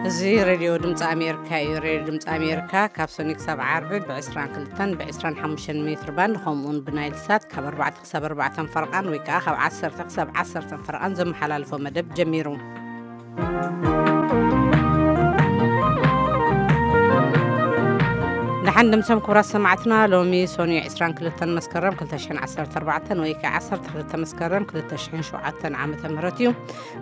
እዚ ሬድዮ ድምፂ ኣሜሪካ እዩ። ሬድዮ ድምፂ ኣሜሪካ ካብ ሰኑይ ክሳብ ዓርቢ ብ22 ብ25 ሜትር ባንድ፣ ከምኡውን ብናይል ሳት ካብ ኣርባዕተ ክሳብ ኣርባዕተ ፈረቓን ወይ ከዓ ካብ ዓሰርተ ክሳብ ዓሰርተ ፈረቓን ዘመሓላልፎ መደብ ጀሚሩ። ደሓን ድምሶም ክቡራት ሰማዕትና፣ ሎሚ ሰኑይ 22 መስከረም 2014 ወይ ከዓ 12 መስከረም 2007 ዓመተ ምህረት እዩ።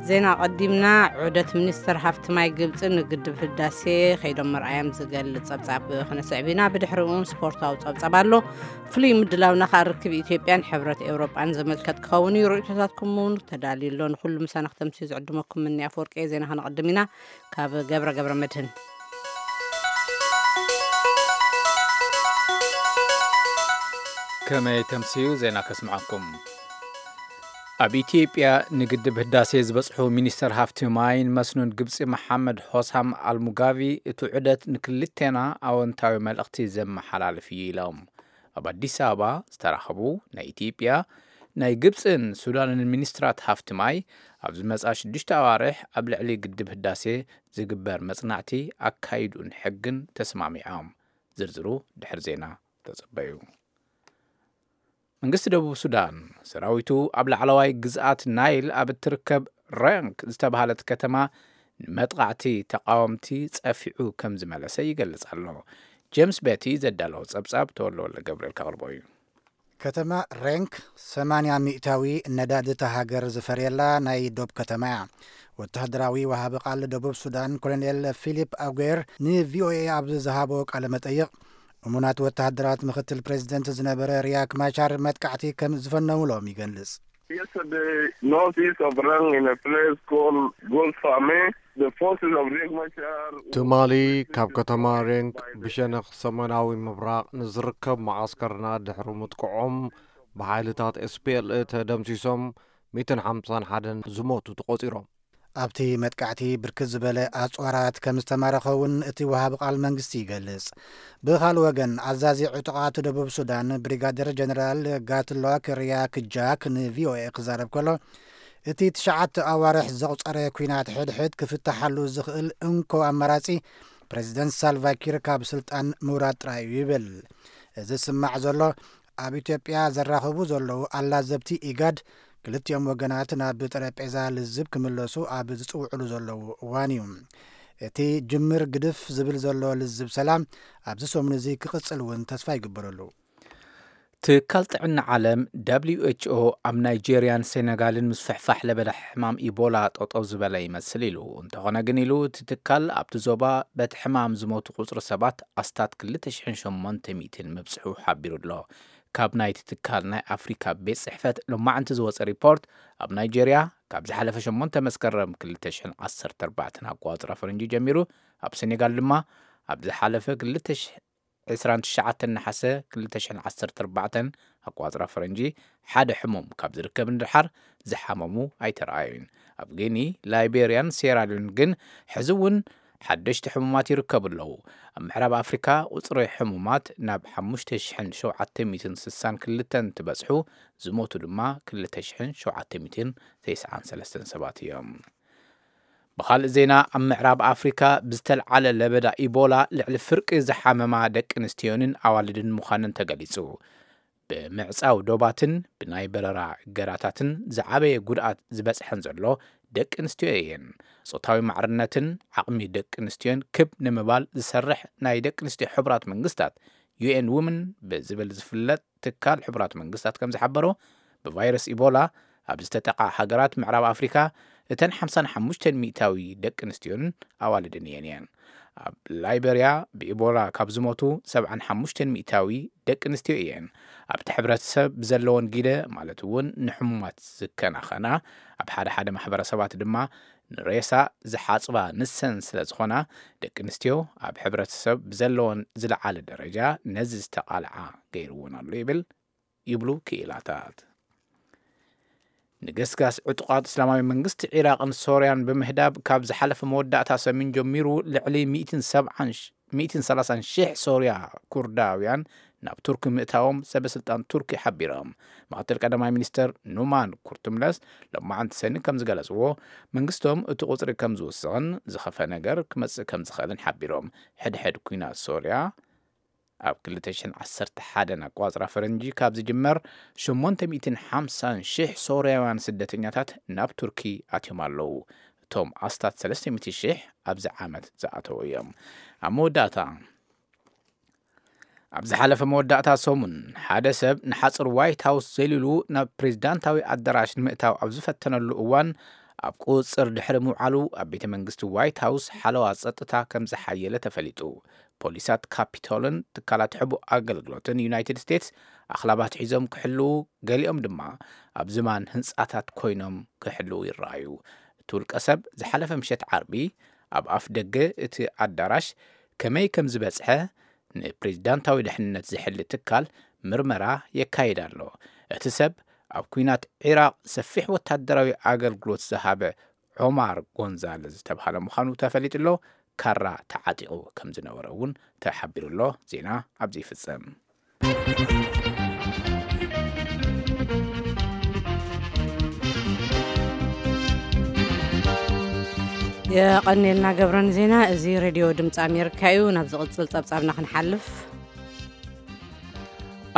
ዜና ቀዲምና። ዑደት ሚኒስትር ሃፍቲ ማይ ግብፂ ንግድብ ህዳሴ ከይዶም ምርኣዮም ዝገልፅ ፀብፃብ ክነስዕብ ኢና። ብድሕሪኡ እውን ስፖርታዊ ፀብፃብ ኣሎ። ፍሉይ ምድላውና ከዓ ርክብ ኢትዮጵያን ሕብረት ኤውሮጳን ዘመልከት ክኸውን እዩ። ርእይቶታትኩም እውን ተዳልዩ ኣሎ። ንኩሉ ምሳና ክተምስዩ ዝዕድመኩም ምኒ ኣፈወርቂ። ዜና ከነቐድም ኢና። ካብ ገብረ ገብረ መድህን። ከመይ ተምስዩ ዜና ከስምዓኩም። ኣብ ኢትዮጵያ ንግድብ ህዳሴ ዝበጽሑ ሚኒስተር ሃፍቲ ማይን መስኖን ግብጺ መሓመድ ሆሳም ኣልሙጋቪ፣ እቲ ዑደት ንክልቴና ኣወንታዊ መልእኽቲ ዘመሓላልፍ እዩ ኢሎም። ኣብ ኣዲስ ኣበባ ዝተራኸቡ ናይ ኢትዮጵያ፣ ናይ ግብጽን ሱዳንን ሚኒስትራት ሃፍቲ ማይ፣ ኣብ ዝመጽኣ ሽዱሽተ ኣዋርሕ ኣብ ልዕሊ ግድብ ህዳሴ ዝግበር መጽናዕቲ ኣካይዱን ሕግን ተስማሚዖም። ዝርዝሩ ድሕሪ ዜና ተጸበዩ። መንግስቲ ደቡብ ሱዳን፣ ሰራዊቱ ኣብ ላዕለዋይ ግዝኣት ናይል ኣብ እትርከብ ሬንክ ዝተባህለት ከተማ ንመጥቃዕቲ ተቃወምቲ ጸፊዑ ከም ዝመለሰ ይገልጽ ኣሎ። ጄምስ ቤቲ ዘዳለዎ ጸብጻብ ተወልደ ወልደ ገብርኤል ከቕርቦ እዩ። ከተማ ሬንክ 80% ነዳዲ እታ ሃገር ዝፈርየላ ናይ ዶብ ከተማ እያ። ወተሃደራዊ ወሃቢ ቃል ደቡብ ሱዳን ኮሎኔል ፊሊፕ ኣጉዌር ንቪኦኤ ኣብ ዝሃቦ ቃለ መጠይቕ፣ እሙናት ወተሃደራት ምክትል ፕሬዚደንት ዝነበረ ሪያክ ማቻር መጥቃዕቲ ከም ዝፈነውሎም ይገልጽ። Yesterday, northeast of Rang, in a place called Golfame, the forces of Riek Machar ትማሊ ካብ ከተማ ሬንክ ብሸነኽ ሰሜናዊ ምብራቕ ንዝርከብ መዓስከርና ድሕሪ ምጥቅዖም፣ ብሓይልታት ኤስፒኤልኤ ተደምሲሶም 151 ዝሞቱ ተቖጺሮም። ኣብቲ መጥቃዕቲ ብርክት ዝበለ ኣጽዋራት ከም ዝተማረኸ እውን እቲ ወሃቢ ቃል መንግስቲ ይገልጽ። ብኻልእ ወገን፣ ኣዛዚ ዕጡቓት ደቡብ ሱዳን ብሪጋደር ጀነራል ጋትሎክ ሪያክ ጃክ ንቪኦኤ ክዛረብ ከሎ፣ እቲ ትሽዓተ ኣዋርሕ ዘቑጸረ ኲናት ሕድሕድ ክፍታሓሉ ዝኽእል እንኮ ኣማራጺ ፕሬዚደንት ሳልቫኪር ካብ ስልጣን ምውራድ ጥራይ እዩ ይብል። እዚ ዝስማዕ ዘሎ፣ ኣብ ኢትዮጵያ ዘራኽቡ ዘለዉ ኣላዘብቲ ኢጋድ ክልቲኦም ወገናት ናብ ጠረጴዛ ልዝብ ክምለሱ ኣብ ዝጽውዕሉ ዘለዉ እዋን እዩ። እቲ ጅምር ግድፍ ዝብል ዘሎ ልዝብ ሰላም ኣብዚ ሰሙን እዚ ክቕጽል እውን ተስፋ ይግበረሉ። ትካል ጥዕና ዓለም ደብሊው ኤች ኦ ኣብ ናይጄርያን ሴነጋልን ምስፍሕፋሕ ለበዳ ሕማም ኢቦላ ጠጠው ዝበለ ይመስል ኢሉ። እንተኾነ ግን ኢሉ፣ እቲ ትካል ኣብቲ ዞባ በቲ ሕማም ዝሞቱ ቁጽሪ ሰባት ኣስታት 2,800 ምብጽሑ ሓቢሩ ኣሎ። ካብ ናይቲ ትካል ናይ ኣፍሪካ ቤት ጽሕፈት ሎማዕንቲ ዝወጸ ሪፖርት፣ ኣብ ናይጄርያ ካብ ዝሓለፈ ሸሞንተ መስከረም 2014 ኣቋጽራ ፈረንጂ ጀሚሩ፣ ኣብ ሴኔጋል ድማ ኣብ ዝሓለፈ 2029 ነሓሰ 2014 ኣቋጽራ ፈረንጂ ሓደ ሕሙም ካብ ዝርከብ ንድሓር ዝሓመሙ ኣይተረኣዩን። ኣብ ጊኒ፣ ላይቤርያን ሴራሊዮን ግን ሕዚ እውን ሓደሽቲ ሕሙማት ይርከቡ ኣለዉ። ኣብ ምዕራብ ኣፍሪካ ቁጽሪ ሕሙማት ናብ 5,762 እንትበጽሑ፣ ዝሞቱ ድማ 2,793 ሰባት እዮም። ብኻልእ ዜና፣ ኣብ ምዕራብ ኣፍሪካ ብዝተልዓለ ለበዳ ኢቦላ ልዕሊ ፍርቂ ዝሓመማ ደቂ ኣንስትዮንን ኣዋልድን ምዃነን ተገሊጹ። ብምዕጻው ዶባትን ብናይ በረራ እገዳታትን ዝዓበየ ጉድኣት ዝበጽሐን ዘሎ ደቂ ኣንስትዮ እየን። ጾታዊ ማዕርነትን ዓቕሚ ደቂ ኣንስትዮን ክብ ንምባል ዝሰርሕ ናይ ደቂ ኣንስትዮ ሕቡራት መንግስታት፣ ዩ ኤን ውመን ብዝብል ዝፍለጥ ትካል ሕቡራት መንግስታት ከም ዝሓበሮ፣ ብቫይረስ ኢቦላ ኣብ ዝተጠቓ ሃገራት ምዕራብ ኣፍሪካ፣ እተን ሓምሳን ሓሙሽተን ሚእታዊ ደቂ ኣንስትዮን ኣዋልድን እየን እየን። ኣብ ላይበርያ ብኢቦላ ካብ ዝሞቱ 75% ደቂ ኣንስትዮ እየን። ኣብቲ ሕብረተሰብ ብዘለወን ጊደ፣ ማለት እውን ንሕሙማት ዝከናኸና፣ ኣብ ሓደ ሓደ ማሕበረሰባት ድማ ንሬሳ ዝሓጽባ ንሰን ስለ ዝኾና፣ ደቂ ኣንስትዮ ኣብ ሕብረተሰብ ብዘለወን ዝለዓለ ደረጃ ነዚ ዝተቓልዓ ገይርዎን ኣሎ ይብል፣ ይብሉ ክኢላታት። ንገስጋስ ዕጡቓት እስላማዊ መንግስቲ ዒራቕን ሶርያን ብምህዳብ፣ ካብ ዝሓለፈ መወዳእታ ሰሙን ጀሚሩ ልዕሊ ሚእትን ሰብዓን ሽ-፣ ሚእትን ሰላሳን ሽሕ ሶርያ ኩርዳውያን ናብ ቱርኪ ምእታዎም ሰበ ስልጣን ቱርኪ ሓቢሮም። ምክትል ቀዳማይ ሚኒስተር ኑማን ኩርቱምለስ ሎማዓንቲ ሰኒ ከም ዝገለጽዎ፣ መንግስቶም እቲ ቁጽሪ ከም ዝውስኽን ዝኸፈ ነገር ክመጽእ ከም ዝኽእልን ሓቢሮም። ሕድሕድ ኲናት ሶርያ ኣብ ክልተ ሽሕን ዓሰርተ ሓደን ኣቋጽራ ፈረንጂ ካብ ዝጅመር፣ ሸሞንተ ሚእትን ሓምሳን ሽሕ ሶርያውያን ስደተኛታት ናብ ቱርኪ ኣትዮም ኣለዉ። እቶም ኣስታት ሰለስተ ሚእቲ ሽሕ ኣብዚ ዓመት ዝኣተዉ እዮም። ኣብ መወዳእታ፣ ኣብ ዝሓለፈ መወዳእታ ሰሙን፣ ሓደ ሰብ ንሓጽር ዋይት ሃውስ ዘሊሉ ናብ ፕሬዝዳንታዊ ኣዳራሽ ንምእታው ኣብ ዝፈተነሉ እዋን፣ ኣብ ቁጽጽር ድሕሪ ምውዓሉ፣ ኣብ ቤተ መንግስቲ ዋይት ሃውስ ሓለዋ ጸጥታ ከም ዝሓየለ ተፈሊጡ። ፖሊሳት ካፒቶልን ትካላት ሕቡእ ኣገልግሎትን ዩናይትድ ስቴትስ ኣኽላባት ሒዞም ክሕልዉ፣ ገሊኦም ድማ ኣብ ዝማን ህንጻታት ኮይኖም ክሕልዉ ይረኣዩ። እቲ ውልቀ ሰብ ዝሓለፈ ምሸት ዓርቢ ኣብ ኣፍ ደገ እቲ ኣዳራሽ ከመይ ከም ዝበጽሐ ንፕሬዝዳንታዊ ድሕንነት ዝሕሊ ትካል ምርመራ የካይድ ኣሎ። እቲ ሰብ ኣብ ኲናት ዒራቕ ሰፊሕ ወታደራዊ ኣገልግሎት ዝሃበ ዖማር ጎንዛለዝ ዝተብሃለ ምዃኑ ተፈሊጡ ኣሎ። ካራ ተዓጢቑ ከም ዝነበረ እውን ተሓቢሩ ኣሎ። ዜና ኣብዚ ይፍጸም። የቐኔልና ገብረን ዜና። እዚ ሬድዮ ድምፂ ኣሜሪካ እዩ። ናብ ዝቕጽል ጸብጻብና ክንሓልፍ፣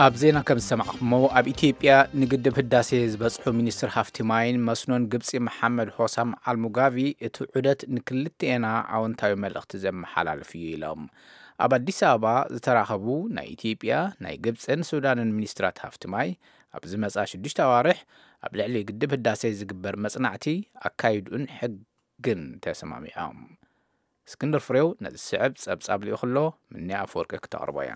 ኣብ ዜና ከም ዝሰማዕኹሞ፣ ኣብ ኢትዮጵያ ንግድብ ህዳሴ ዝበጽሑ ሚኒስትር ሃፍቲ ማይን መስኖን ግብጺ መሓመድ ሆሳም ኣልሙጋቪ፣ እቲ ዑደት ንክልቲኤና ኣወንታዊ መልእኽቲ ዘመሓላልፍ እዩ ኢሎም። ኣብ ኣዲስ ኣበባ ዝተራኸቡ ናይ ኢትዮጵያ፣ ናይ ግብጽን ሱዳንን ሚኒስትራት ሃፍቲ ማይ፣ ኣብ ዝመጻ ሽዱሽተ ኣዋርሕ ኣብ ልዕሊ ግድብ ህዳሴ ዝግበር መጽናዕቲ ኣካይድኡን ሕግን ተሰማሚዖም። እስክንድር ፍሬው ነዚ ዝስዕብ ጸብጻብ ልኢኹ ኣሎ፣ ምኒ ኣፈወርቂ ክተቕርቦ እያ።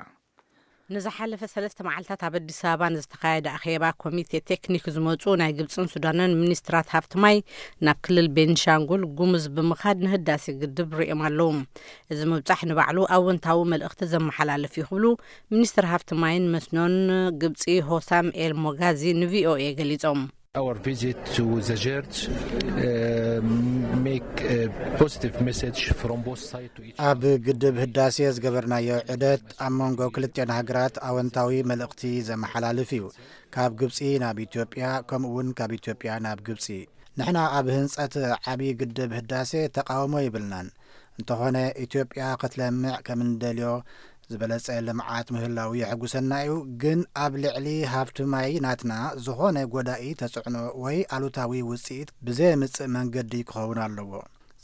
ንዝሓለፈ ሰለስተ መዓልታት ኣብ ኣዲስ ኣበባ ንዝተኻየደ ኣኼባ ኮሚቴ ቴክኒክ ዝመጹ ናይ ግብጽን ሱዳንን ሚኒስትራት ሃፍቲ ማይ ናብ ክልል ቤንሻንጉል ጉሙዝ ብምኻድ ንህዳሴ ግድብ ሪኦም ኣለዉ። እዚ ምብጻሕ ንባዕሉ ኣወንታዊ መልእኽቲ ዘመሓላልፍ እዩ ክብሉ ሚኒስትር ሃፍቲ ማይን መስኖን ግብጺ ሆሳም ኤል ሞጋዚ ንቪኦኤ ገሊጾም። Our visit to the Zert, uh, make a positive message from both sides to each ኣብ ግድብ ህዳሴ ዝገበርናዮ ዑደት ኣብ መንጎ ክልቲኦን ሃገራት ኣወንታዊ መልእኽቲ ዘመሓላልፍ እዩ። ካብ ግብጺ ናብ ኢትዮጵያ፣ ከምኡ እውን ካብ ኢትዮጵያ ናብ ግብጺ። ንሕና ኣብ ህንጸት ዓቢ ግድብ ህዳሴ ተቃውሞ ይብልናን። እንተኾነ፣ ኢትዮጵያ ክትለምዕ ከም እንደልዮ ዝበለጸ ልምዓት ምህላው የሐጉሰና እዩ። ግን ኣብ ልዕሊ ሃፍቲ ማይ ናትና ዝኾነ ጎዳኢ ተጽዕኖ ወይ ኣሉታዊ ውጽኢት ብዘየምጽእ መንገዲ ክኸውን ኣለዎ።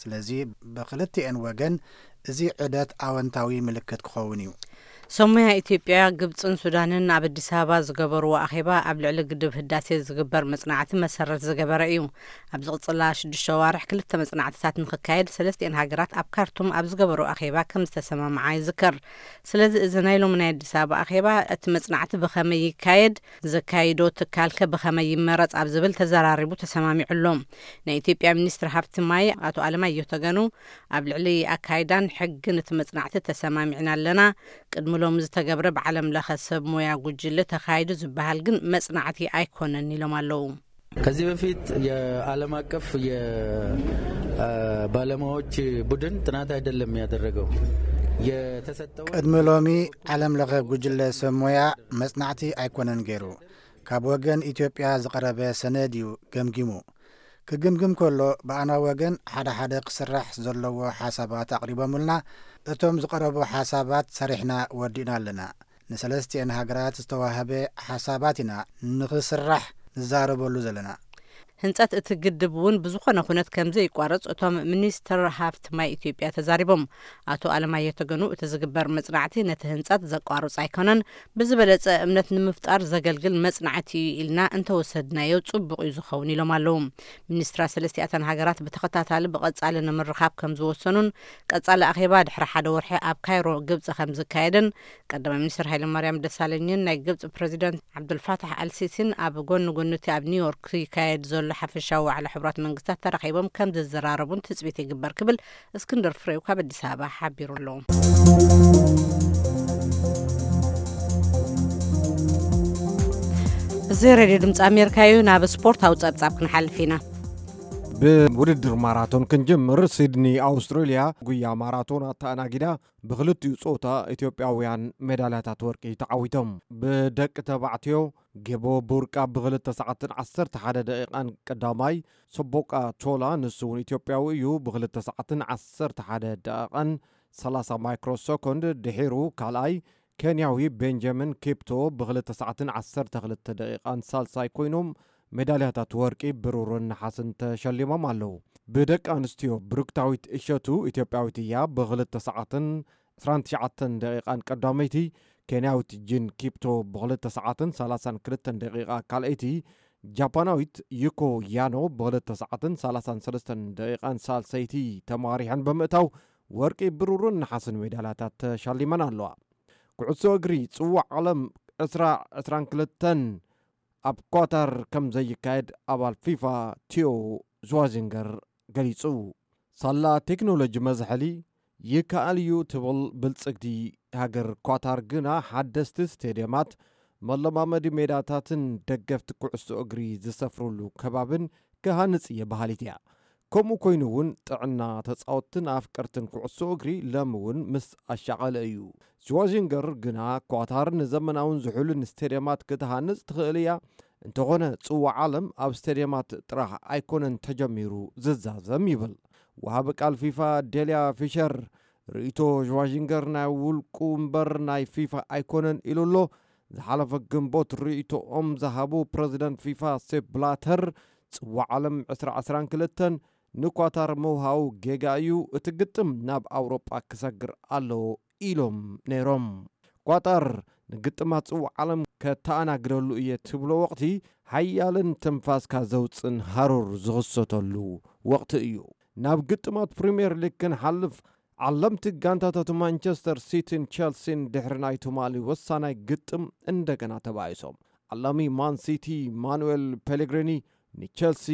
ስለዚ ብክልቲኤን ወገን እዚ ዑደት ኣወንታዊ ምልክት ክኸውን እዩ። ሰሙያ ኢትዮጵያ፣ ግብጽን ሱዳንን ኣብ ኣዲስ ኣበባ ዝገበርዎ ኣኼባ ኣብ ልዕሊ ግድብ ህዳሴ ዝግበር መጽናዕቲ መሰረት ዝገበረ እዩ። ኣብ ዝቕጽላ ሽዱሽተ ኣዋርሕ ክልተ መጽናዕትታት ንኽካየድ ሰለስቲኤን ሃገራት ኣብ ካርቱም ኣብ ዝገበርኦ ኣኼባ ከም ዝተሰማምዓ ይዝከር። ስለዚ እዚ ናይ ሎሚ ናይ ኣዲስ ኣበባ ኣኼባ እቲ መጽናዕቲ ብኸመይ ይካየድ፣ ዘካይዶ ትካልከ ብኸመይ ይመረጽ ኣብ ዝብል ተዘራሪቡ ተሰማሚዑ ኣሎ። ናይ ኢትዮጵያ ሚኒስትር ሃፍቲ ማይ ኣቶ ኣለማየሁ ተገኑ ኣብ ልዕሊ ኣካይዳን ሕግን እቲ መጽናዕቲ ተሰማሚዕና ኣለና። ቅድሚ ሎሚ ዝተገብረ ብዓለም ለኸ ሰብ ሞያ ጉጅለ ተኻይዱ ዝበሃል ግን መጽናዕቲ ኣይኮነን ኢሎም ኣለዉ። ከዚህ በፊት የዓለም አቀፍ የባለሙያዎች ቡድን ጥናት አይደለም ያደረገው። የተሰጠው ቅድሚ ሎሚ ዓለም ለኸ ጉጅለ ሰብ ሞያ መጽናዕቲ ኣይኮነን ገይሩ። ካብ ወገን ኢትዮጵያ ዝቐረበ ሰነድ እዩ ገምጊሙ። ክግምግም ከሎ ብኣና ወገን ሓደ ሓደ ክስራሕ ዘለዎ ሓሳባት ኣቕሪቦምልና። እቶም ዝቐረቡ ሓሳባት ሰሪሕና ወዲእና ኣለና። ንሰለስቲኤን ሃገራት ዝተዋህበ ሓሳባት ኢና ንኽስራሕ ንዛረበሉ ዘለና። ህንጸት እቲ ግድብ እውን ብዝኾነ ኩነት ከም ዘይቋረጽ እቶም ሚኒስትር ሃፍቲ ማይ ኢትዮጵያ ተዛሪቦም። ኣቶ ኣለማየሁ ተገኑ እቲ ዝግበር መጽናዕቲ ነቲ ህንጸት ዘቋርጽ ኣይኮነን፣ ብዝበለጸ እምነት ንምፍጣር ዘገልግል መጽናዕቲ እዩ ኢልና እንተወሰድናዮ ጽቡቕ እዩ ዝኸውን ኢሎም ኣለዉ። ሚኒስትራት ሰለስቲኣተን ሃገራት ብተኸታታሊ ብቐጻሊ ንምርኻብ ከም ዝወሰኑን ቀጻሊ ኣኼባ ድሕሪ ሓደ ወርሒ ኣብ ካይሮ ግብጺ ከም ዝካየድን ቀዳማይ ሚኒስትር ሃይለማርያም ደሳለኝን ናይ ግብጺ ፕሬዚደንት ዓብዱልፋታሕ ኣልሲሲን ኣብ ጎኒ ጎኒ እቲ ኣብ ኒውዮርክ ይካየድ ዘሎ ሓፈሻዊ ዋዕላ ሕቡራት መንግስታት ተራኺቦም ከም ዝዘራረቡን ትጽቢት ይግበር ክብል እስክንድር ፍሬው ካብ ኣዲስ ኣበባ ሓቢሩ ኣሎ። እዚ ሬድዮ ድምፂ ኣሜሪካ እዩ። ናብ ስፖርታዊ ጸብጻብ ክንሓልፍ ኢና። ብውድድር ማራቶን ክንጅምር፣ ሲድኒ ኣውስትራልያ ጉያ ማራቶን ኣተኣናጊዳ። ብክልቲኡ ጾታ ኢትዮጵያውያን ሜዳልያታት ወርቂ ተዓዊቶም። ብደቂ ተባዕትዮ ጌቦ ቡርቃ ብክልተ ሰዓትን ዓሰርተ ሓደ ደቂቓን ቀዳማይ፣ ሰቦቃ ቶላ ንሱ እውን ኢትዮጵያዊ እዩ፣ ብክልተ ሰዓትን ዓሰርተ ሓደ ደቂቓን ሰላሳ ማይክሮ ሰኮንድ ድሒሩ ካልኣይ፣ ኬንያዊ ቤንጃሚን ኪፕቶ ብክልተ ሰዓትን ዓሰርተ ክልተ ደቂቓን ሳልሳይ ኮይኖም ሜዳልያታት ወርቂ፣ ብሩርን ነሓስን ተሸሊሞም ኣለዉ። ብደቂ ኣንስትዮ ብሩክታዊት እሸቱ ኢትዮጵያዊት እያ፣ ብክልተ ሰዓትን ዕስራን ትሽዓተን ደቂቓን ቀዳመይቲ፣ ኬንያዊት ጂን ኪፕቶ ብክልተ ሰዓትን ሰላሳን ክልተን ደቂቓ ካልኣይቲ፣ ጃፓናዊት ዩኮ ያኖ ብክልተ ሰዓትን ሰላሳን ሰለስተን ደቂቓን ሳልሰይቲ ተማሪሐን ብምእታው ወርቂ፣ ብሩርን ነሓስን ሜዳልያታት ተሻሊመን ኣለዋ። ኩዕሶ እግሪ ጽዋዕ ዓለም ዕስራ ዕስራን ክልተን ኣብ ኳታር ከም ዘይካየድ ኣባል ፊፋ ቲዮ ዝዋዚንገር ገሊጹ። ሳላ ቴክኖሎጂ መዝሐሊ ይከኣል እዩ ትብል ብልጽግቲ ሃገር ኳታር ግና፣ ሓደስቲ ስቴድየማት፣ መለማመዲ ሜዳታትን ደገፍቲ ኩዕሶ እግሪ ዝሰፍሩሉ ከባብን ክሃንጽ እየ በሃሊት እያ። ከምኡ ኮይኑ እውን ጥዕና ተጻወትትን ኣፍቀርትን ኩዕሶ እግሪ ሎሚ እውን ምስ ኣሻቐለ እዩ። ሽዋዚንገር ግና ኳታር ንዘመናውን ዝሑልን ስቴድየማት ክትሃንጽ ትኽእል እያ። እንተኾነ ጽዋዕ ዓለም ኣብ ስቴድየማት ጥራሕ ኣይኮነን ተጀሚሩ ዝዛዘም ይብል። ወሃቢ ቃል ፊፋ ዴልያ ፊሸር ርእይቶ ሽዋዚንገር ናይ ውልቁ እምበር ናይ ፊፋ ኣይኮነን ኢሉ ኣሎ። ዝሓለፈ ግንቦት ርእይቶኦም ዝሃቡ ፕረዚደንት ፊፋ ሴፕ ብላተር ጽዋዕ ዓለም ዕስራ ዕስራን ክልተን ንኳታር ምውሃቡ ጌጋ እዩ፣ እቲ ግጥም ናብ ኣውሮጳ ክሰግር ኣለዎ ኢሎም ነይሮም። ኳታር ንግጥማት ጽዋዕ ዓለም ከተኣናግደሉ እየ ትብሎ ወቕቲ ሓያልን ትንፋስካ ዘውጽን ሃሩር ዝኽሰተሉ ወቕቲ እዩ። ናብ ግጥማት ፕሪምየር ሊግ ክንሓልፍ፣ ዓለምቲ ጋንታታት ማንቸስተር ሲቲን ቸልሲን ድሕሪ ናይ ትማሊ ወሳናይ ግጥም እንደገና ተባኢሶም። ዓላሚ ማን ሲቲ ማኑኤል ፔሌግሪኒ ንቸልሲ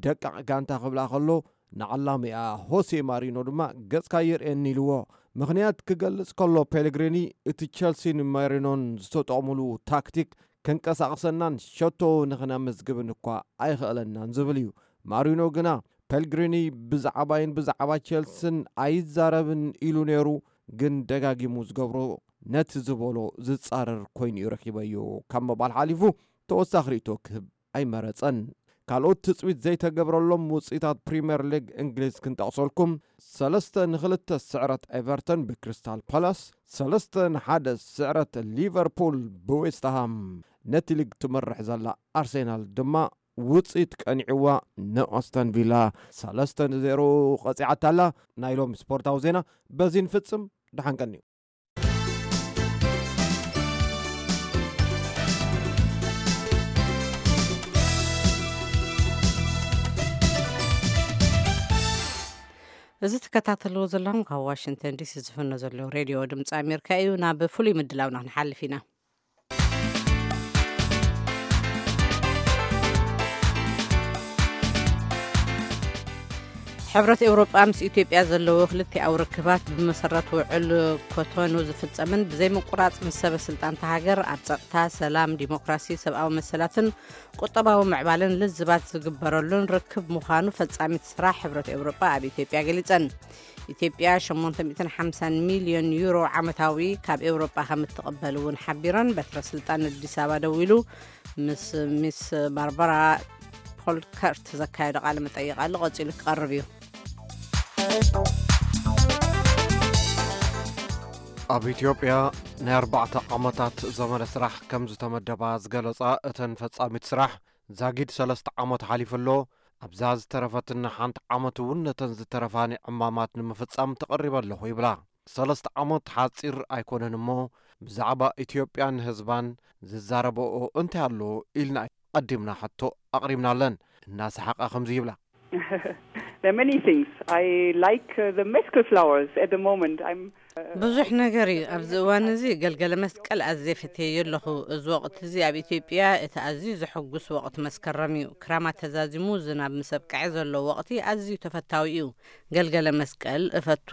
ደቃቕ ጋንታ ክብላ ከሎ፣ ንዓላሚኣ ሆሴ ማሪኖ ድማ ገጽካ ይርእየኒ ኢልዎ። ምኽንያት ክገልጽ ከሎ ፔሌግሪኒ፣ እቲ ቸልሲን ማሪኖን ዝተጠቕሙሉ ታክቲክ ከንቀሳቕሰናን ሸቶ ንኽነመዝግብን እኳ ኣይኽእለናን ዝብል እዩ። ማሪኖ ግና ፔልግሪኒ ብዛዕባይን ብዛዕባ ቸልስን ኣይዛረብን ኢሉ ነይሩ፣ ግን ደጋጊሙ ዝገብሮ ነቲ ዝበሎ ዝጻረር ኮይኑ እዩ ረኺበዮ ካብ ምባል ሓሊፉ ተወሳኺ ርእይቶ ክህብ ኣይመረጸን። ካልኦት ትጽቢት ዘይተገብረሎም ውጽኢታት ፕሪምየር ሊግ እንግሊዝ ክንጠቕሰልኩም፣ ሰለስተ ንክልተ ስዕረት ኤቨርተን ብክሪስታል ፓላስ፣ ሰለስተ ንሓደ ስዕረት ሊቨርፑል ብዌስትሃም፣ ነቲ ሊግ ትመርሕ ዘላ ኣርሴናል ድማ ውጽኢት ቀኒዕዋ ንኣስተን ቪላ ሰለስተ ንዜሮ ቀጺዓታ ኣላ። ናይ ሎሚ ስፖርታዊ ዜና በዚ ንፍጽም። ደሓን ቀንዩ። እዚ ትከታተልዎ ዘለኹም ካብ ዋሽንግተን ዲሲ ዝፍኖ ዘሎ ሬድዮ ድምፂ ኣሜሪካ እዩ። ናብ ፍሉይ ምድላውና ክንሓልፍ ኢና። ሕብረት ኤውሮጳ ምስ ኢትዮጵያ ዘለዎ ክልቲኣዊ ርክባት ብመሰረት ውዕል ኮቶኑ ዝፍጸምን ብዘይምቁራጽ ምስ ሰበ ስልጣንታ ሃገር ኣብ ጸጥታ፣ ሰላም፣ ዲሞክራሲ፣ ሰብኣዊ መሰላትን ቁጠባዊ ምዕባለን ልዝባት ዝግበረሉን ርክብ ምዃኑ ፈጻሚት ስራሕ ሕብረት ኤውሮጳ ኣብ ኢትዮጵያ ገሊጸን። ኢትዮጵያ ሸሞንተ ሚእትን ሓምሳን ሚልዮን ዩሮ ዓመታዊ ካብ ኤውሮጳ ከም እትቕበል እውን ሓቢረን። በትረ ስልጣን ኣዲስ ኣበባ ደዊሉ ምስ ሚስ ባርባራ ፖልከርት ዘካየዶ ቃለ መጠይቕ ኣሎ፣ ቀጺሉ ክቐርብ እዩ። ኣብ ኢትዮጵያ ናይ ኣርባዕተ ዓመታት ዘመነ ስራሕ ከም ዝተመደባ ዝገለጻ እተን ፈጻሚት ስራሕ፣ ዛጊድ ሰለስተ ዓመት ሓሊፉ ኣሎ። ኣብዛ ዝተረፈትና ሓንቲ ዓመት እውን ነተን ዝተረፋኒ ዕማማት ንምፍጻም ተቐሪበ ኣለኹ ይብላ። ሰለስተ ዓመት ሓጺር ኣይኮነን እሞ፣ ብዛዕባ ኢትዮጵያን ህዝባን ዝዛረበኦ እንታይ ኣሎ ኢልና ቀዲምና ሕቶ ኣቕሪብናለን። እናሰሓቓ ከምዚ ይብላ። There are many things. I like uh, the mescal flowers at the moment. I'm ብዙሕ ነገር እዩ። ኣብዚ እዋን እዚ ገልገለ መስቀል ኣዝየ ፈትየዮ ኣለኹ። እዚ ወቕቲ እዚ ኣብ ኢትዮጵያ እቲ ኣዝዩ ዘሐጉስ ወቕቲ መስከረም እዩ። ክራማት ተዛዚሙ ዝናብ ምስ ኣብቅዐ ዘሎ ወቕቲ ኣዝዩ ተፈታዊ እዩ። ገልገለ መስቀል እፈቱ።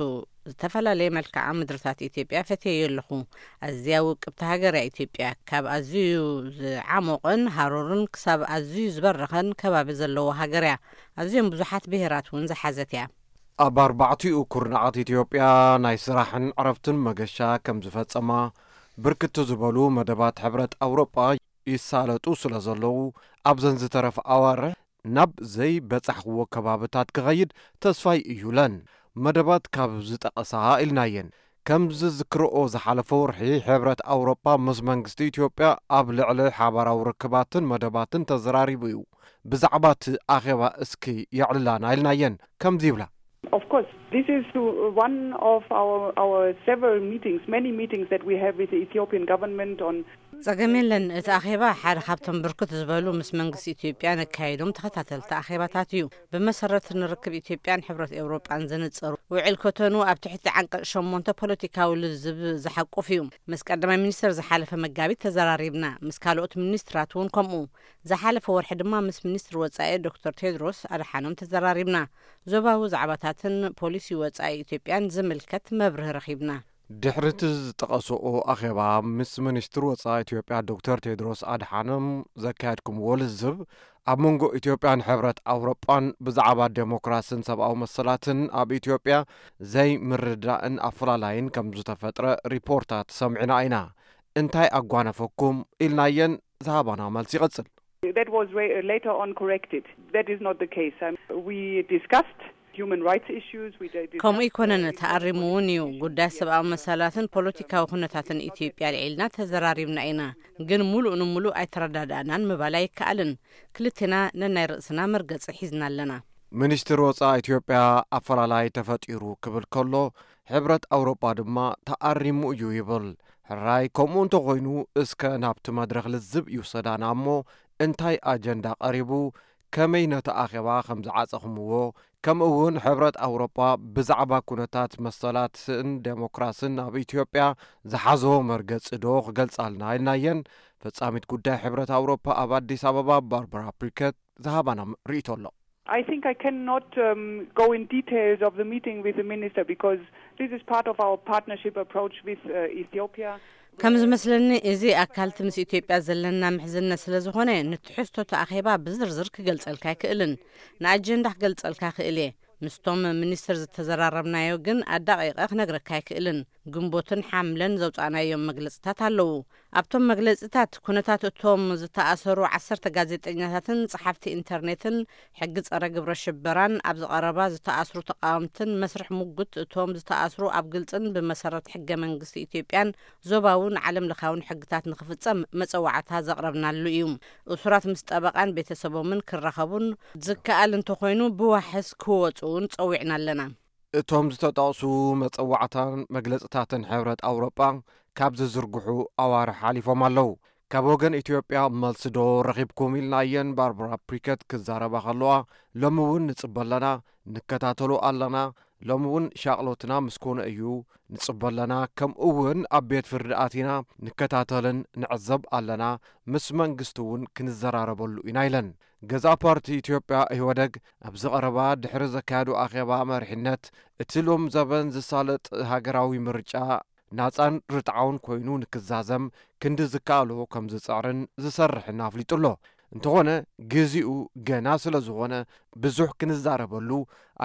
ዝተፈላለየ መልክዓ ምድርታት ኢትዮጵያ ፈትየዮ ኣለኹ። ኣዝያ ውቅብቲ ሃገር እያ ኢትዮጵያ። ካብ ኣዝዩ ዝዓሞቕን ሃሩርን ክሳብ ኣዝዩ ዝበረኸን ከባቢ ዘለዎ ሃገር እያ። ኣዝዮም ብዙሓት ብሄራት እውን ዝሓዘት እያ። ኣብ ኣርባዕቲኡ ኩርናዓት ኢትዮጵያ ናይ ስራሕን ዕረፍትን መገሻ ከም ዝፈጸማ፣ ብርክት ዝበሉ መደባት ሕብረት ኣውሮጳ ይሳለጡ ስለ ዘለዉ፣ ኣብዘን ዝተረፋ ኣዋርሕ ናብ ዘይበጻሕክዎ ከባብታት ክኸይድ ተስፋይ እዩ ኢለን። መደባት ካብ ዝጠቐሳ ኢልናየን። ከም ዝዝክርኦ፣ ዝሓለፈ ወርሒ ሕብረት ኣውሮጳ ምስ መንግስቲ ኢትዮጵያ ኣብ ልዕሊ ሓባራዊ ርክባትን መደባትን ተዘራሪቡ እዩ። ብዛዕባ እቲ ኣኼባ እስኪ የዕልላና ኢልናየን። ከምዚ ይብላ። Of course, this is one of our, our several meetings, many meetings that we have with the Ethiopian government on ጸገም የለን። እቲ ኣኼባ ሓደ ካብቶም ብርክት ዝበሉ ምስ መንግስቲ ኢትዮጵያ ነካይዶም ተኸታተልቲ ኣኼባታት እዩ። ብመሰረት ንርክብ ኢትዮጵያን ሕብረት ኤውሮጳን ዘነጸሩ ውዕል ኮቶኑ ኣብ ትሕቲ ዓንቀጽ ሸሞንተ ፖለቲካዊ ልዝብ ዝሓቁፍ እዩ። ምስ ቀዳማይ ሚኒስትር ዝሓለፈ መጋቢት ተዘራሪብና። ምስ ካልኦት ሚኒስትራት እውን ከምኡ። ዝሓለፈ ወርሒ ድማ ምስ ሚኒስትር ወጻኢ ዶክተር ቴድሮስ ኣድሓኖም ተዘራሪብና። ዞባዊ ዛዕባታትን ፖሊሲ ወጻኢ ኢትዮጵያን ዝምልከት መብርሂ ረኺብና። ድሕሪ እቲ ዝጠቐስኦ ኣኼባ ምስ ሚኒስትር ወጻኢ ኢትዮጵያ ዶክተር ቴድሮስ ኣድሓኖም ዘካየድኩምዎ ልዝብ፣ ኣብ መንጎ ኢትዮጵያን ሕብረት ኣውሮጳን ብዛዕባ ዴሞክራስን ሰብኣዊ መሰላትን ኣብ ኢትዮጵያ ዘይምርድዳእን ኣፈላላይን ከም ዝተፈጥረ ሪፖርታት ሰሚዕና ኢና። እንታይ ኣጓነፈኩም ኢልናየን። ዝሃባና መልሲ ይቕጽል። That was re- later on corrected. That is not the case. Um, we discussed human rights issues. We di- discussed, ከምኡ ኣይኮነን፣ uh, ተኣሪሙ እውን እዩ። ጉዳይ ሰብኣዊ መሰላትን ፖለቲካዊ ኩነታትን ኢትዮጵያ ልዒልና ተዘራሪብና ኢና፣ ግን ሙሉእ ንሙሉእ ኣይተረዳዳእናን ምባል ኣይከኣልን። ክልቴና ነናይ ርእስና መርገጺ ሒዝና ኣለና። ሚኒስትር ወጻኢ ኢትዮጵያ ኣፈላላይ ተፈጢሩ ክብል ከሎ፣ ሕብረት ኣውሮጳ ድማ ተኣሪሙ እዩ ይብል። ሕራይ ከምኡ እንተኾይኑ፣ እስከ ናብቲ መድረኽ ልዝብ ይውሰዳና እሞ፣ እንታይ ኣጀንዳ ቀሪቡ፣ ከመይ ነቲ ኣኼባ ከም ዝዓጸኹምዎ፣ ከምኡ እውን ሕብረት ኣውሮጳ ብዛዕባ ኩነታት መሰላትን ዴሞክራስን ኣብ ኢትዮጵያ ዝሓዞ መርገጺ ዶ ክገልጻልና ኢልናየን። ፈጻሚት ጉዳይ ሕብረት ኣውሮጳ ኣብ ኣዲስ ኣበባ ባርባራ ፕሪከት ዝሃባና ርእይቶ ኣሎ። I think I cannot um, go in details of the meeting with the minister because this is part of our partnership approach with uh, Ethiopia. ከም ዝመስለኒ፣ እዚ ኣካልቲ ምስ ኢትዮጵያ ዘለና ምሕዝነት ስለ ዝኾነ፣ ንትሕዝቶ እቲ ኣኼባ ብዝርዝር ክገልጸልካ ኣይክእልን። ንኣጀንዳ ክገልጸልካ ክእል እየ። ምስቶም ሚኒስትር ዝተዘራረብናዮ ግን ኣዳቂቐ ክነግረካ ኣይክእልን። ግንቦትን ሓምለን ዘውጻእናዮም መግለጽታት ኣለዉ። ኣብቶም መግለጽታት፣ ኩነታት እቶም ዝተኣሰሩ ዓሰርተ ጋዜጠኛታትን ጸሓፍቲ ኢንተርኔትን፣ ሕጊ ጸረ ግብረ ሽበራን፣ ኣብዚ ቀረባ ዝተኣስሩ ተቃወምትን መስርሕ ሙጉት እቶም ዝተኣስሩ ኣብ ግልጽን ብመሰረት ሕገ መንግስቲ ኢትዮጵያን ዞባውን ዓለም ለኻውን ሕግታት ንክፍጸም መጸዋዕታ ዘቕረብናሉ እዩ። እሱራት ምስ ጠበቃን ቤተሰቦምን ክራኸቡን ዝከኣል እንተኾይኑ ብዋሕስ ክወጹ እውን ጸዊዕና ኣለና። እቶም ዝተጠቕሱ መጸዋዕታን መግለጽታትን ሕብረት ኣውሮጳ ካብ ዝዝርግሑ ኣዋርሕ ሓሊፎም ኣለዉ። ካብ ወገን ኢትዮጵያ መልሲ ዶ ረኺብኩም ኢልናየን ባርባራ ፕሪከት ክዛረባ ከለዋ፣ ሎሚ እውን ንጽበ ኣለና፣ ንከታተሎ ኣለና፣ ሎሚ እውን ሻቕሎትና ምስ ኮነ እዩ፣ ንጽበ ኣለና፣ ከምኡ እውን ኣብ ቤት ፍርዲ ኣቲና ንከታተልን ንዕዘብ ኣለና፣ ምስ መንግስቲ እውን ክንዘራረበሉ ኢና ኢለን። ገዛእ ፓርቲ ኢትዮጵያ ኢህወደግ ኣብዚ ቀረባ ድሕሪ ዘካየዶ ኣኼባ መሪሕነት፣ እቲ ሎም ዘበን ዝሳለጥ ሃገራዊ ምርጫ ናጻን ርትዓውን ኮይኑ ንክዛዘም ክንዲ ዝከኣሎ ከም ዝጽዕርን ዝሰርሕን ኣፍሊጡ ኣሎ። እንተኾነ፣ ግዜኡ ገና ስለ ዝኾነ ብዙሕ ክንዛረበሉ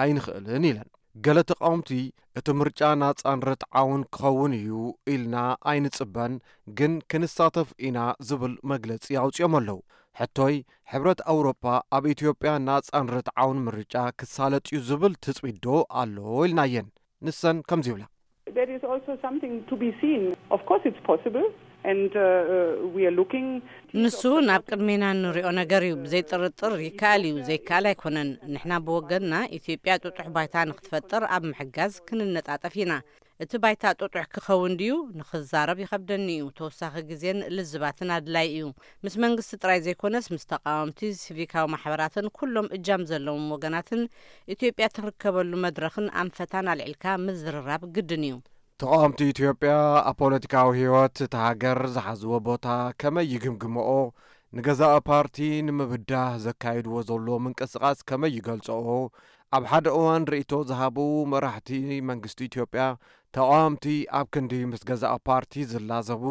ኣይንኽእልን ኢለን። ገለ ተቃወምቲ፣ እቲ ምርጫ ናጻን ርትዓውን ክኸውን እዩ ኢልና ኣይንጽበን፣ ግን ክንሳተፍ ኢና ዝብል መግለጺ ኣውጺኦም ኣለዉ። ሕቶይ፣ ሕብረት ኣውሮፓ ኣብ ኢትዮጵያ ናጻን ርትዓውን ምርጫ ክሳለጥ እዩ ዝብል ትጽቢት ዶ ኣሎ ኢልናየን። ንሰን ከምዚ ይብላ። That is also something to be seen. Of course, it's possible, and uh, uh, we are looking. ንሱ እውን ኣብ ቅድሜና እንሪኦ ነገር እዩ። ብዘይ ጥርጥር ይከኣል እዩ፣ ዘይከኣል ኣይኮነን። ንሕና ብወገንና ኢትዮጵያ ጥጡሕ ባይታ ንክትፈጥር ኣብ ምሕጋዝ ክንነጣጠፍ ኢና። እቲ ባይታ ጥጡሕ ክኸውን ድዩ ንክዛረብ ይኸብደኒ እዩ። ተወሳኺ ግዜን ልዝባትን ኣድላይ እዩ። ምስ መንግስቲ ጥራይ ዘይኮነስ ምስ ተቃወምቲ፣ ሲቪካዊ ማሕበራትን ኩሎም እጃም ዘለዎም ወገናትን ኢትዮጵያ ትርከበሉ መድረኽን ኣንፈታን ኣልዒልካ ምዝርራብ ግድን እዩ። ተቓወምቲ ኢትዮጵያ ኣብ ፖለቲካዊ ህይወት እታ ሃገር ዝሓዝዎ ቦታ ከመይ ይግምግምኦ? ንገዛኢ ፓርቲ ንምብዳህ ዘካይድዎ ዘሎ ምንቅስቓስ ከመይ ይገልጽኦ? ኣብ ሓደ እዋን ርእይቶ ዝሃቡ መራሕቲ መንግስቲ ኢትዮጵያ፣ ተቓወምቲ ኣብ ክንዲ ምስ ገዛኢ ፓርቲ ዝላዘቡ፣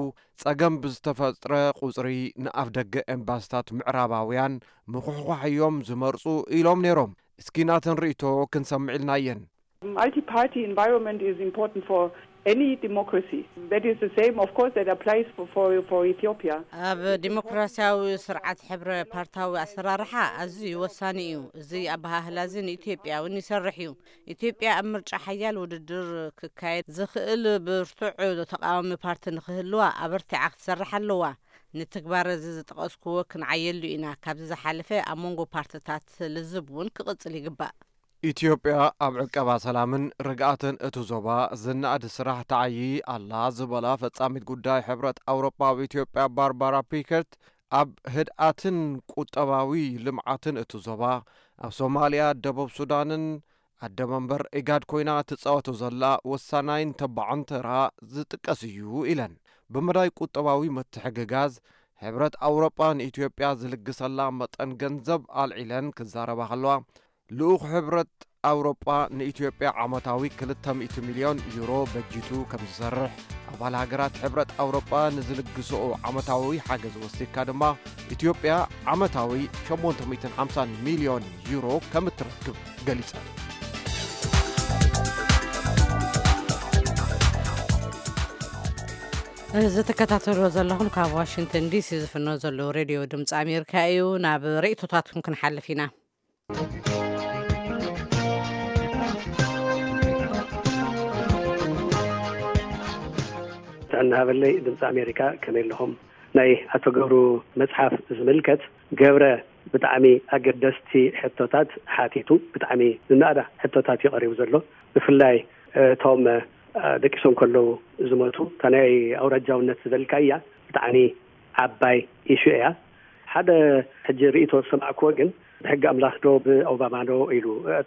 ጸገም ብዝተፈጥረ ቁጽሪ ንኣፍደገ ኤምባስታት ምዕራባውያን ምኹሕኳሕ እዮም ዝመርጹ ኢሎም ነይሮም። እስኪ ናተን ርእይቶ ክንሰምዕ ኢልናየን። Multi-party environment is important for any democracy. That is the same, of course, that applies for, for, for Ethiopia. ኣብ ዲሞክራሲያዊ ስርዓት ሕብረ ፓርታዊ ኣሰራርሓ ኣዝዩ ወሳኒ እዩ። እዚ ኣበሃህላ እዚ ንኢትዮጵያ እውን ይሰርሕ እዩ። ኢትዮጵያ ኣብ ምርጫ ሓያል ውድድር ክካየድ ዝኽእል ብርቱዕ ተቃዋሚ ፓርቲ ንክህልዋ ኣበርቲዓ ክትሰርሕ ኣለዋ። ንትግባር እዚ ዝጠቐስክዎ ክንዓየሉ ኢና። ካብዚ ዝሓለፈ ኣብ መንጎ ፓርትታት ልዝብ እውን ክቕጽል ይግባእ። ኢትዮጵያ ኣብ ዕቀባ ሰላምን ርግኣትን እቲ ዞባ ዝነኣድ ስራሕ ትዓዪ ኣላ ዝበላ ፈጻሚት ጉዳይ ሕብረት ኣውሮጳ ኣብ ኢትዮጵያ ባርባራ ፒከርት፣ ኣብ ህድኣትን ቁጠባዊ ልምዓትን እቲ ዞባ፣ ኣብ ሶማልያ፣ ደቡብ ሱዳንን ኣደ መንበር ኢጋድ ኮይና ትጻወቶ ዘላ ወሳናይን ተባዕን ተራ ዝጥቀስ እዩ ኢለን። ብመዳይ ቁጠባዊ ምትሕግጋዝ፣ ሕብረት ኣውሮጳ ንኢትዮጵያ ዝልግሰላ መጠን ገንዘብ ኣልዒለን ክዛረባ ከለዋ፣ ልኡኽ ሕብረት ኣውሮጳ ንኢትዮጵያ ዓመታዊ ክልተ ሚእቲ ሚልዮን ዩሮ በጂቱ ከም ዝሰርሕ፣ ኣባል ሃገራት ሕብረት ኣውሮጳ ንዝልግስኦ ዓመታዊ ሓገዝ ወሲድካ ድማ ኢትዮጵያ ዓመታዊ ሸሞንተ ሚእትን ሓምሳን ሚልዮን ዩሮ ከም እትረክብ ገሊጸን። እዚ ትከታተልዎ ዘለኹም ካብ ዋሽንግተን ዲሲ ዝፍኖ ዘሎ ሬድዮ ድምፂ ኣሜሪካ እዩ። ናብ ርእይቶታትኩም ክንሓልፍ ኢና። ጥዕና ሃበለይ ድምፂ ኣሜሪካ፣ ከመይ ኣለኹም? ናይ ኣቶ ገብሩ መፅሓፍ ዝምልከት፣ ገብረ ብጣዕሚ ኣገደስቲ ሕቶታት ሓቲቱ። ብጣዕሚ ዝነኣዳ ሕቶታት እዩ ቀሪቡ ዘሎ። ብፍላይ እቶም ደቂሶም ከለዉ ዝሞቱ፣ እታ ናይ ኣውራጃውነት ዝበልካያ ብጣዕሚ ዓባይ ኢሹ እያ። ሓደ ሕጂ ርእይቶ ዝሰማዕክዎ ግን፣ ብሕጊ ኣምላኽ ዶ ብኦባማ ዶ ኢሉ።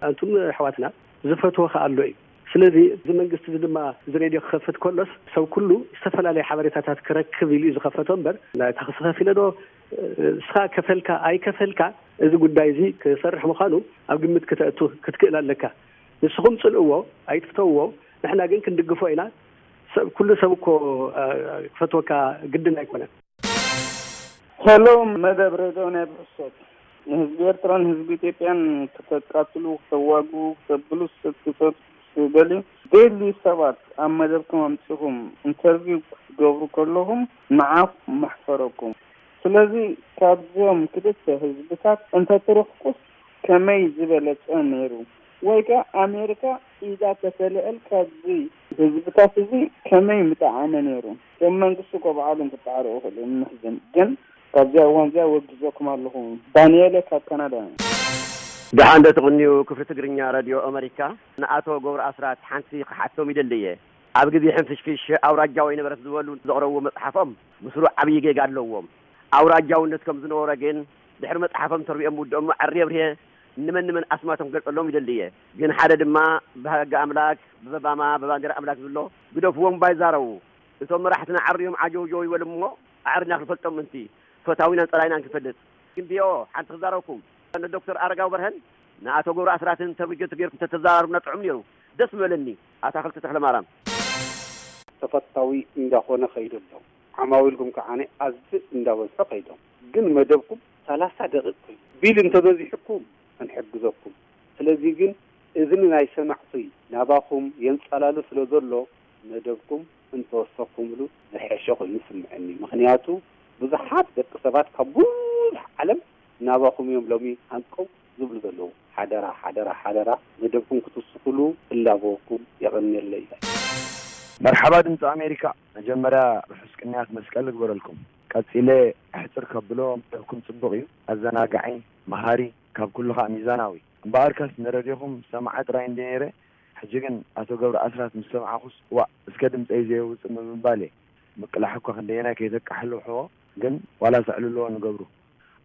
ኣንቱም ኣሕዋትና፣ ዝፈትዎ ከኣ ኣሎ እዩ። ስለዚ እዚ መንግስቲ እዚ ድማ እዚ ሬድዮ ክኸፍት ከሎስ፣ ሰብ ኩሉ ዝተፈላለየ ሓበሬታታት ክረክብ ኢሉ እዩ ዝኸፈቶ እምበር፣ ናይታ ክስኸፍ ኢለ ዶ፣ ንስኻ ከፈልካ ኣይከፈልካ፣ እዚ ጉዳይ እዚ ክሰርሕ ምዃኑ ኣብ ግምት ክተእቱ ክትክእል ኣለካ። ንስኹም ጽልእዎ፣ ኣይትፍተውዎ፣ ንሕና ግን ክንድግፎ ኢና። ሰብ፣ ኩሉ ሰብ እኮ፣ እ፣ ክፈትወካ ግድን ኣይኮነን። ሄሎ፣ መደብ ሬድዮ ናይ ብሕሶት። ንህዝቢ ኤርትራን ህዝቢ ኢትዮጵያን ከተቃትሉ፣ ከተዋግኡ፣ ከተብሉስ ክትሰብስቡ ትደልዩ፣ ደልዩ ሰባት ኣብ መደብኩም ኣምጺኹም ኢንተርቪው ክትገብሩ ከለኹም ንዓኹም መሕፈረኩም። ስለዚ ካብዞም ክልተ ህዝብታት እንተትርሕቁስ ከመይ ዝበለጸ ነይሩ? ወይ ከኣ ኣሜሪካ ኢዳ ተተልዕል ካብዚ ህዝብታት እዚ ከመይ ምጠዓመ ነይሩ? እቶም መንግስቲ እኮ ባዕሎም ክጠዓሩ ይኽእሉ እዮም፣ ንሕዝን። ግን ካብዚኣ እዋን እዚኣ ወጊዘኩም ኣለኹ። ዳንኤለ ካብ ካናዳ። ደሓን ዶ ትቕንዩ? ክፍሊ ትግርኛ ሬድዮ ኣመሪካ፣ ንኣቶ ገብሩ ኣስራት ሓንቲ ክሓቶም ይደሊ እየ። ኣብ ግዜ ሕንፍሽፍሽ ኣውራጃዊ ነበረት ዝበሉ ዘቕረብዎ መጽሓፎም ምስሉ ዓብዪ ጌጋ ኣለዎም። ኣውራጃውነት ከም ዝነበረ ግን ድሕሪ መጽሓፎም ተርቢኦም ምውድኦም ኣዕርየ ኣብርየ ንመን ንመን ኣስማቶም ክገልጸሎም ይደሊ እየ። ግን ሓደ ድማ ብሕጊ ኣምላክ፣ ብበባማ፣ ብባንዴራ ኣምላክ ዝብሎ ግደፍዎም ባይዛረቡ። እቶም መራሕትና ዓርዮም ዓጀውጀው ይበሉ እሞ ኣዕሪና ክንፈልጦም ምእንቲ። ፈታዊናን ጸላኢናን ክንፈልጥ። ግን ቢኦ ሓንቲ ክዛረብኩም። ንዶክተር ኣረጋዊ በርሀን ንኣቶ ገብሩ ኣስራትን ተብጀት ገይርኩም ተተዛራርቡና ጥዑም ነይሩ። ደስ ምበለኒ። ኣታኽልቲ ተኽለማርያም። ተፈታዊ እንዳኾነ ከይዱ ኣሎ። ዓማዊልኩም ከዓነ ኣዝዩ እንዳበዝሑ ከይዶም። ግን መደብኩም ሰላሳ ደቂቕ ኮይኑ። ቢል እንተበዚሑኩም ክንሕግዘኩም። ስለዚ ግን እዝኒ ናይ ሰማዕቲ ናባኹም የንጸላሉ ስለ ዘሎ መደብኩም እንተወሰኹምሉ ዝሐሸ ኮይኑ ይስምዐኒ። ምኽንያቱ ብዙሓት ደቂ ሰባት ካብ ብዙሕ ዓለም ናባኹም እዮም ሎሚ ሃንቀው ዝብሉ ዘለዉ። ሓደራ፣ ሓደራ፣ ሓደራ መደብኩም ክትውስኹሉ እላበወኩም። የቐንየለይ። መርሓባ ድምፂ ኣሜሪካ። መጀመርያ ርሑስ ቅንያት መስቀል ይግበረልኩም። ቀፂለ ኣሕፅር ከብሎ መደብኩም ፅቡቕ እዩ። ኣዘናጋዒ፣ መሃሪ፣ ካብ ኩሉ ከዓ ሚዛናዊ። እምበኣርከስ ንረድዮኹም ሰማዒ ጥራይ እንደ ነይረ፣ ሕጂ ግን ኣቶ ገብረ ኣስራት ምስ ሰማዕኹስ ዋእ እስከ ድምፀይ ዘየውፅእ ብምባል እየ። ምቅላሕ እኳ ክንደየናይ ከይተቃሕልሕዎ ግን ዋላ ሰዕልልዎ ንገብሩ።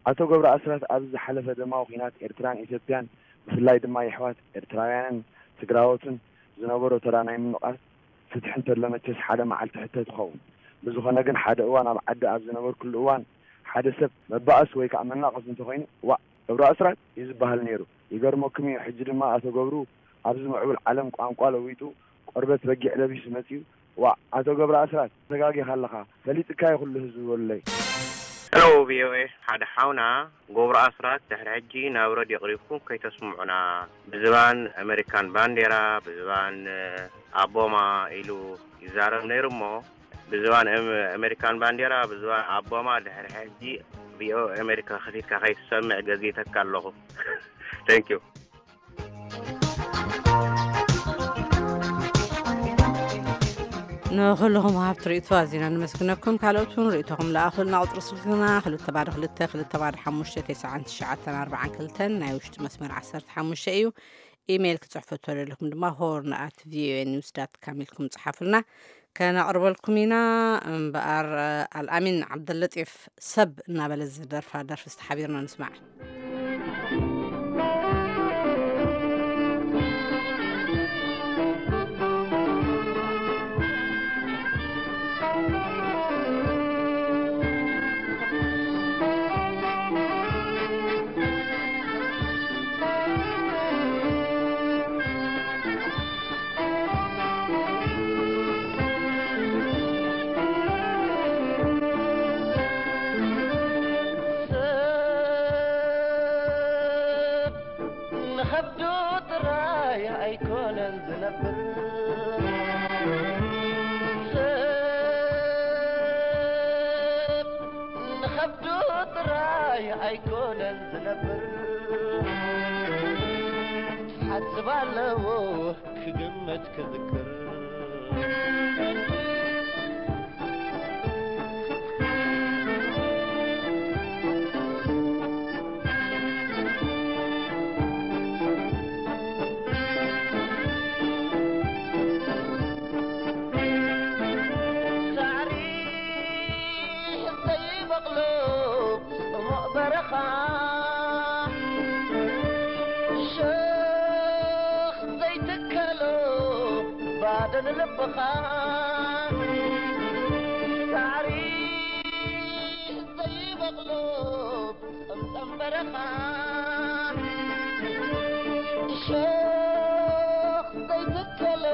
ኣቶ ገብረ ኣስራት ኣብዚ ዝሓለፈ ደማዊ ኲናት ኤርትራን ኢትዮጵያን ብፍላይ ድማ የሕዋት ኤርትራውያንን ትግራዎትን ዝነበሮ ተራ ናይ ምንቓስ ፍትሒ እንተሎ መቸስ ሓደ መዓልቲ ሕቶ ትኸውን። ብዝኾነ ግን ሓደ እዋን ኣብ ዓዲ ኣብ ዝነበርኩሉ እዋን ሓደ ሰብ መባእስ ወይ ከዓ መናቐስ እንተኾይኑ፣ "ዋእ፣ ገብሩ ኣስራት" እዩ ዝበሃል ነይሩ። ይገርመኩም እዩ፣ ሕጂ ድማ ኣቶ ገብሩ ኣብዚ ምዕቡል ዓለም ቋንቋ ለዊጡ ቆርበት በጊዕ ለቢሱ መጺኡ፣ "ዋእ፣ ኣቶ ገብሩ ኣስራት፣ ተጋጊኻ ኣለኻ፣ ፈሊጥካዮ ኩሉ ህዝቢ" በሉለይ። ሄሎ፣ ቪ ኦ ኤ፣ ሓደ ሓውና ገብሩ ኣስራት ድሕሪ ሕጂ ናብ ረድዮ ቅሪብኩም ከይተስምዑና፣ ብዝባን ኣሜሪካን ባንዴራ፣ ብዝባን ኣቦማ ኢሉ ይዛረብ ነይሩ እሞ፣ ብዝባን ኣም-፣ ኣሜሪካን ባንዴራ፣ ብዝባን ኣቦማ ድሕሪ ሕጂ ቪ ኦ ኤ ኣሜሪካ ከፊትካ ከይትሰምዕ ገዚተካ ኣለኹ። Thank you። ንኹልኹም ሃብቲ ርእይቶ ኣዚና ነመስግነኩም። ካልኦት እውን ርእይቶኹም ለኣኹልና። ቁጽሪ ስልክና ክልተ ባዶ ክልተ፣ ክልተ ባዶ ሓሙሽተ፣ ተስዓን ትሽዓተን ኣርባዓን ክልተን፣ ናይ ውሽጢ መስመር ዓሰርተ ሓሙሽተ እዩ። ኢሜይል ክጽሕፉ እተደለኹም ድማ ሆርን ኣት ቪ ኦ ኤ ኒውስ ዳት ካም ኢልኩም ጽሓፉልና፣ ከነቕርበልኩም ኢና። እምበኣር፣ ኣልኣሚን ዓብደለጢፍ ሰብ እናበለ ዝደርፋ ደርፊ ዝተሓቢርና ንስማዕ። ንኸብዱ ጥራይ ኣይኮነን ዝነብር፣ ሰብ ንኸብዱ ጥራይ ኣይኮነን ዝነብር። ክሓስብ ኣለዎ ክግምት ክዝክር። ሳዕሪ ዘይበቕሎ ጽሙቕ በረኻ፣ ሸኽ ዘይትከሎ ባዶ ንልብኻ። ሳዕሪ ዘይበቕሎ ጸምጸም በረኻ፣ ሸኽ ዘይትከሎ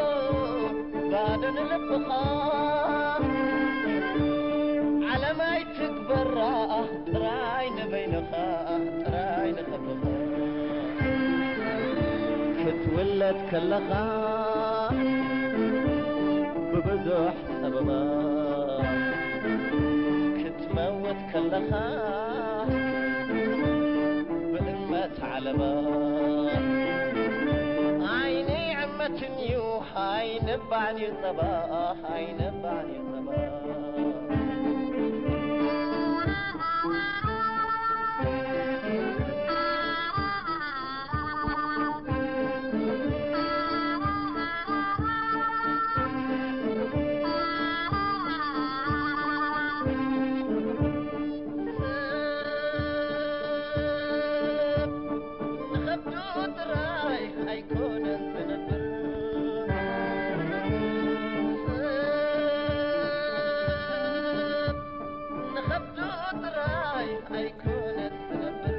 ባዶ ንልብኻ። ዓለም ኣይትግበራ ጥራይ ንበይንኻ፣ ጥራይ ንኸብኻ። ክትውለድ ከለኻ ብብዙሕ ጸበባ፣ ክትመውት ከለኻ ብእመት ዓለባ። ዓይኒ ዕመትን እዩ፣ ኣይንባዕን እዩ ጸባ፣ ኣይንባዕን እዩ ጸባ። ንኸብዱ ጥራይ ኣይኮነን ዝነብር፣ ንኸብዱ ጥራይ ኣይኮነን ዝነብር።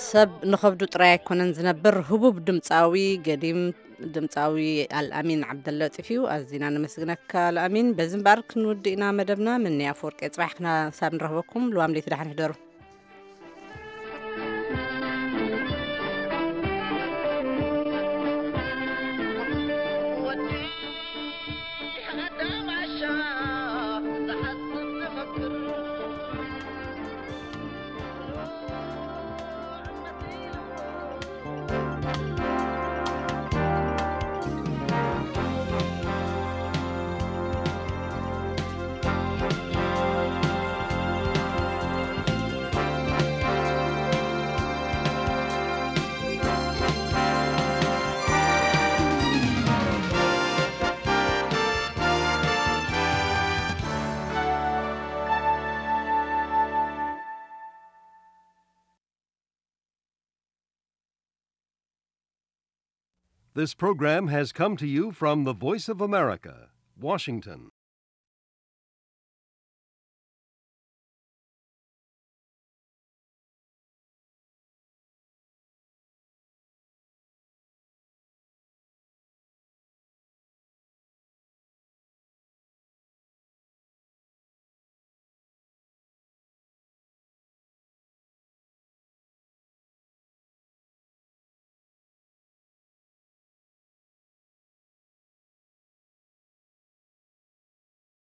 ሰብ ንኸብዱ ጥራይ ኣይኮነን ዝነብር። ህቡብ ድምፃዊ ገዲም ድምፃዊ ኣልኣሚን ዓብደለጢፍ እዩ። ኣዚና ነመስግነካ ኣልኣሚን። በዚ እምበኣር ክንውድእ ኢና መደብና። ምኒ ኣፈወርቂ ጽባሕ ክሳብ ንረኽበኩም፣ ልዋም ለይቲ ደሓን ሕደሩ። This program has come to you from the Voice of America, Washington.